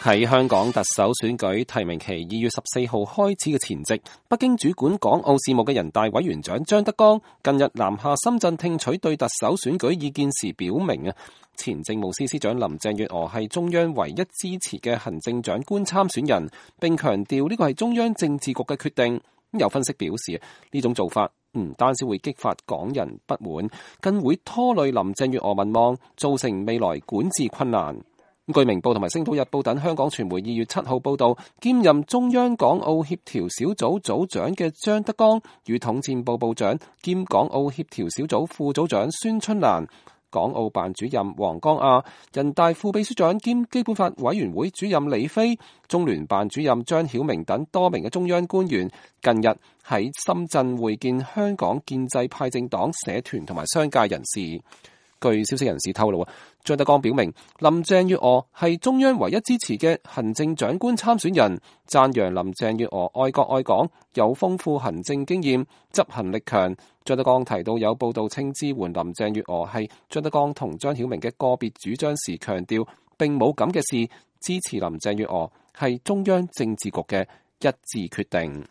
喺香港特首選舉提名期2月14號開始嘅前夕，北京主管港澳事務嘅人大委員長張德江近日南下深圳聽取對特首選舉意見時表明，前政務司司長林鄭月娥係中央唯一支持嘅行政長官參選人，並強調呢個係中央政治局嘅決定。有分析表示，呢種做法唔單止會激發港人不滿，更會拖累林鄭月娥民望，造成未來管治困難。據明報同埋星島日報等香港傳媒2月7號報道，兼任中央港澳協調小組組長嘅張德江與統戰部部長兼港澳協調小組副組長孫春蘭、港澳辦主任黃江亞、人大副秘書長兼基本法委員會主任李飛、中聯辦主任張曉明等多名嘅中央官員，近日喺深圳會見香港建制派政黨、社團同埋商界人士。據消息人士透露，張德江表明林鄭月娥係中央唯一支持嘅行政長官參選人，讚揚林鄭月娥愛國愛港，有豐富行政經驗，執行力強。張德江提到有報道稱支援林鄭月娥係張德江同張曉明嘅個別主張時，強調並冇咁嘅事，支持林鄭月娥係中央政治局嘅一致決定。